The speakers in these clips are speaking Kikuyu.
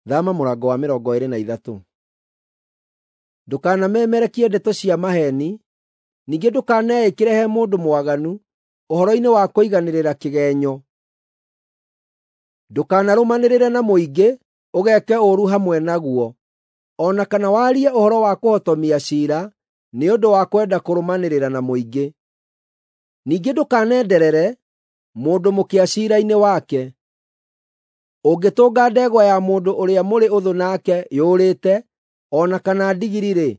Thama mũrango wa 23. Ndũkanamemerekie ndeto cia maheeni, ningĩ ndũkaneĩkĩre he mũndũ mwaganu ũhoro-inĩ wa kũiganĩrĩra kĩgeenyo. Ndũkanarũmanĩrĩre na mũingĩ ũgeeke ũũru hamwe naguo, o na kana warie ũhoro wa kũhotomia ciira nĩ ũndũ wa kwenda kũrũmanĩrĩra na mũingĩ. Ningĩ ndũkanenderere mũndũ mũkĩa ciira-inĩ wake. Ũngĩtũnga ndegwa ya mũndũ ũrĩa mũrĩ ũthũ nake yũrĩte, o na kana ndigiri-rĩ,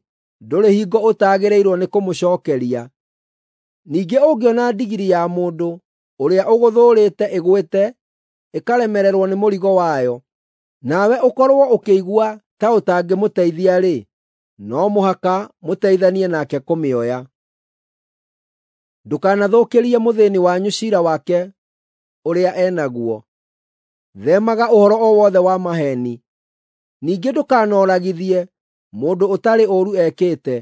ndũrĩ hingo ũtagĩrĩirwo nĩ kũmũcookeria. Ningĩ ũngĩona ndigiri ya mũndũ ũrĩa ũgũthũũrĩte ĩgwĩte ĩkaremererwo nĩ mũrigo wayo, nawe ũkorwo ũkĩigua ta ũtangĩmũteithia-rĩ, no mũhaka mũteithanie nake kũmĩoya. Ndũkanathũkĩrie mũthĩĩni wanyu ciira wake ũrĩa e naguo. Theemaga ũhoro o wothe wa maheeni. Ningĩ ndũkanoragithie mũndũ ũtarĩ ũũru ekĩte,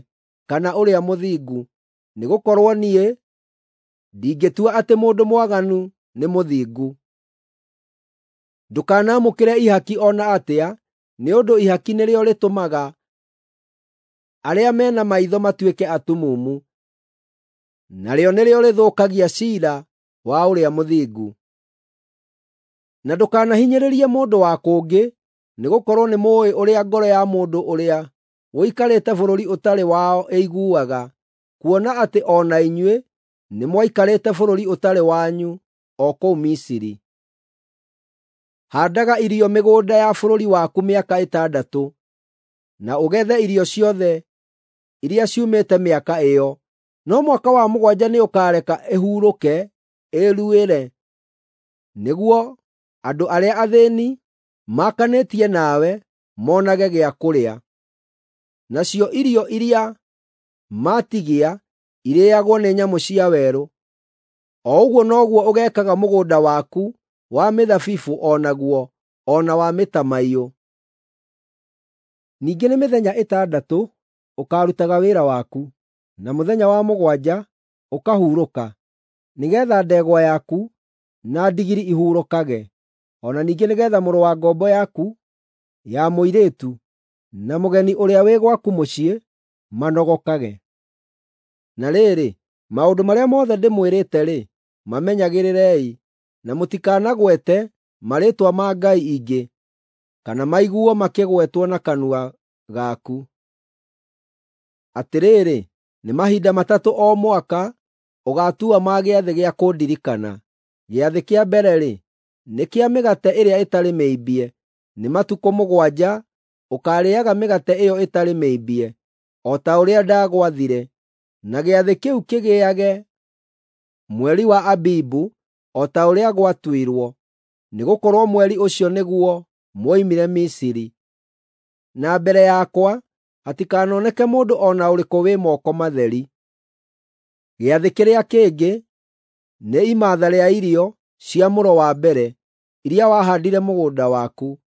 kana ũrĩa mũthingu, nĩgũkorwo niĩ ndingĩtua atĩ mũndũ mwaganu nĩ mũthingu. Ndũkanamũkĩre ihaki o na atĩa, nĩ ũndũ ihaki nĩrĩo rĩtũmaga arĩa me na maitho matuĩke atumumu, narĩo nĩrĩo rĩthũkagia ciira wa ũrĩa mũthingu. Na ndũkanahinyĩrĩrie mũndũ wa kũngĩ, nĩgũkorwo nĩmũũĩ ũrĩa ngoro ya mũndũ ũrĩa ũikarĩte bũrũri ũtarĩ wao ĩiguaga, kuona atĩ o na inyuĩ nĩmwaikarĩte bũrũri ũtarĩ wanyu o kũu Misiri. Haandaga irio mĩgũnda ya bũrũri waku mĩaka ĩtandatũ, na ũgethe irio ciothe iria ciumĩte mĩaka ĩyo, no mwaka wa mũgwanja nĩũkareka ĩhurũke ĩĩruĩre, nĩguo andũ arĩa athĩĩni maakanĩtie nawe monage gĩa kũrĩa. Nacio irio iria maatigia irĩĩagwo nĩ nyamũ cia werũ. O ũguo noguo ũgeekaga mũgũnda waku wa mĩthabibũ o naguo, o na wa mĩtamaiyũ. Ningĩ nĩ mĩthenya ĩtandatũ ũkaarutaga wĩra waku, na mũthenya wa mũgwanja ũkahurũka, nĩgeetha ndegwa yaku na ndigiri ihurũkage, o na ningĩ nĩgeetha mũrũ wa ngombo yaku ya mũirĩtu na mũgeni ũrĩa wĩ gwaku mũciĩ manogokage. Na rĩrĩ, maũndũ marĩa mothe ndĩmwĩrĩte-rĩ, mamenyagĩrĩrei, na mũtikanagwete marĩĩtwa ma ngai ingĩ, kana maiguo makĩgwetwo na kanua gaku. Atĩrĩrĩ, nĩ mahinda matatũ o mwaka ũgaatua ma gĩathĩ gĩa kũndirikana. Gĩathĩ kĩa mbere-rĩ, nĩ kĩa mĩgate ĩrĩa ĩtarĩ mĩimbie, nĩ matukũ mũgwanja ũkaarĩĩaga mĩgate ĩyo ĩtarĩ mĩimbie, o ta ũrĩa ndagwathire. Na gĩathĩ kĩu kĩgĩage mweri wa Abibu, o ta ũrĩa gwatuirwo, nĩgũkorwo mweri ũcio nĩguo mwoimire Misiri. Na mbere yakwa hatikanoneke mũndũ o na ũrĩkũ wĩ moko matheri. Gĩathĩ kĩrĩa kĩngĩ nĩ imatha rĩa irio cia mũro wa mbere iria wahaandire mũgũnda waku.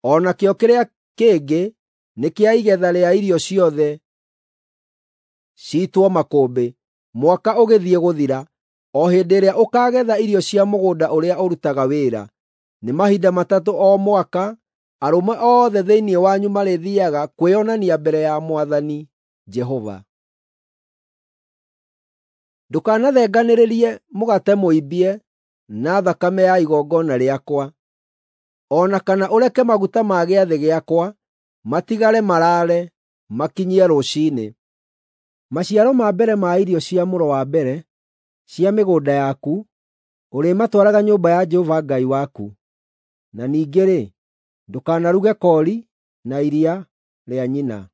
O nakĩo kĩrĩa kĩngĩ nĩ kĩa igetha rĩa irio ciothe ciitwo makũmbĩ, mwaka ũgĩthiĩ gũthira, o hĩndĩ ĩrĩa ũkaagetha irio cia mũgũnda ũrĩa ũrutaga wĩra. Nĩ mahinda matatũ o mwaka arũme othe thĩinĩ wanyu marĩthiiaga kwĩonania mbere ya Mwathani Jehova. Ndũkanathenganĩrĩrie mũgate mũimbie na thakame ya igongona rĩakwa, o na kana ũreke maguta ma gĩathĩ gĩakwa matigare maraare makinyie rũciinĩ. Maciaro ma mbere ma irio cia mũro wa mbere cia mĩgũnda yaku ũrĩmatwaraga nyũmba ya Jehova Ngai waku. Na ningĩ-rĩ, ndũkanaruge koori na iria rĩa nyina.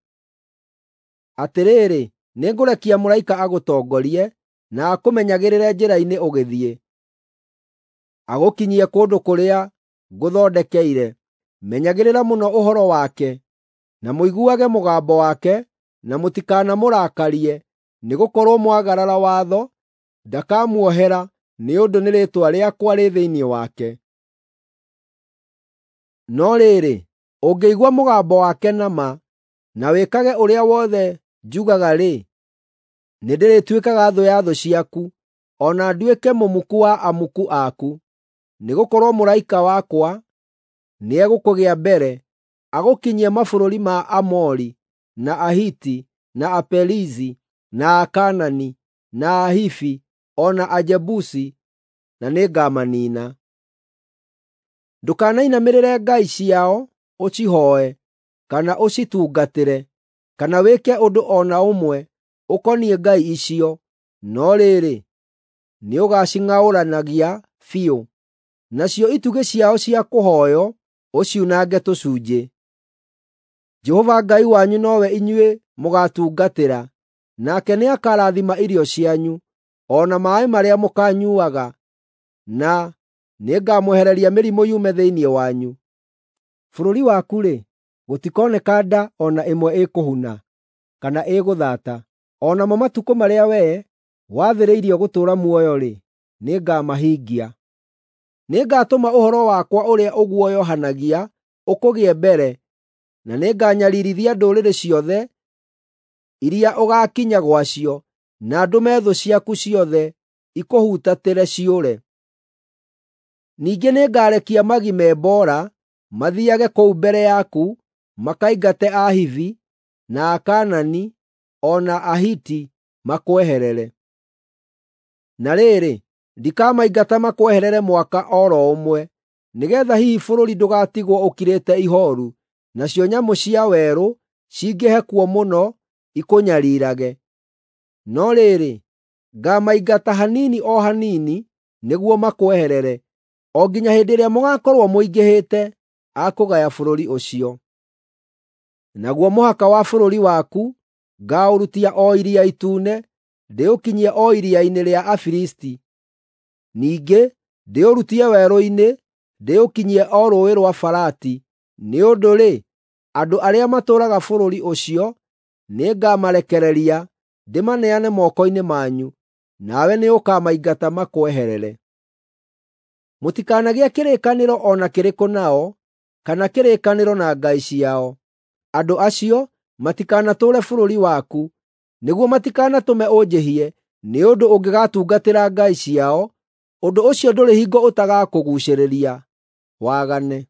Atĩrĩrĩ, nĩngũrekia mũraika agũtongorie na akũmenyagĩrĩre njĩra-inĩ ũgĩthiĩ, agũkinyie kũndũ kũrĩa ngũthondekeire. Menyagĩrĩra mũno ũhoro wake, na mũiguage mũgambo wake, na mũtikanamũrakarie, nĩgũkorwo mwagarara watho, ndakamuohera nĩ ũndũ nĩ rĩĩtwa rĩakwa rĩ thĩinĩ wake. No rĩrĩ, ũngĩigua mũgambo wake na ma, na wĩkage ũrĩa wothe njugaga-rĩ, nĩndĩrĩtuĩkaga thũ ya thũ ciaku, o na nduĩke mũmuku wa amuku aku. Nĩgũkorwo mũraika wakwa nĩegũkũgĩa mbere, agũkinyie mabũrũri ma Aamori, na Ahiti, na Aperizi, na Akaanani, na Ahivi, o na Ajebusi, na nĩngamaniina. Ndũkanainamĩrĩre ngai ciao ũcihooe, kana ũcitungatĩre, kana wĩke ũndũ o na ũmwe ũkoniĩ ngai icio, no rĩrĩ, nĩũgacing'aũranagia biũ, nacio itugĩ ciao cia kũhooywo ũciunange tũcunjĩ. Jehova Ngai wanyu nowe inyuĩ mũgaatungatĩra, nake nĩakarathima irio cianyu, o na maaĩ marĩa mũkaanyuuaga, na nĩngamwehereria mĩrimũ yume thĩinĩ wanyu. Bũrũri waku-rĩ, gũtikoneka nda o na ĩmwe ĩkũhuna, kana ĩgũthaata. O namo matukũ marĩa wee wathĩrĩirio gũtũũra muoyo-rĩ, nĩngamahingia. Nĩngatũma ũhoro wakwa ũrĩa ũguoyohanagia ũkũgĩe mbere, na nĩnganyariirithia ndũrĩrĩ ciothe iria ũgaakinya gwacio, na ndũme thũ ciaku ciothe ikũhutatĩre ciũre. Ningĩ nĩngarekia magi me mboora mathiiage kũu mbere yaku makaingate Ahivi, na Akaanani, o na Ahiti makweherere. Na rĩrĩ, ndikamaingata makweherere mwaka o ro ũmwe, nĩgeetha hihi bũrũri ndũgatigwo ũkirĩte ihooru, nacio nyamũ cia werũ cingĩhe kuo mũno ikũnyariirage. No rĩrĩ, ngaamaingata hanini o hanini nĩguo makweherere, o nginya hĩndĩ ĩrĩa mũgaakorwo mũingĩhĩte a kũgaya bũrũri ũcio. Naguo mũhaka wa bũrũri waku ngaaũrutia o Iria Itune, ndĩũkinyie o iria-inĩ rĩa Afilisti. Ningĩ ndĩũrutie werũ-inĩ, ndĩũkinyie o Rũũĩ rwa Farati. Nĩ ũndũ-rĩ, andũ arĩa matũũraga bũrũri ũcio nĩngamarekereria ndĩmaneane moko-inĩ manyu, nawe nĩũkamaingata makweherere. Mũtikanagĩe kĩrĩkanĩro o na kĩrĩkũ nao, kana kĩrĩkanĩro na ngai ciao. Andũ acio matikanatũũre bũrũri waku, nĩguo matikanatũme ũnjĩhie, nĩ ũndũ ũngĩgatungatĩra ngai ciao, ũndũ ũcio ndũrĩ hingo ũtagakũguucĩrĩria wagane.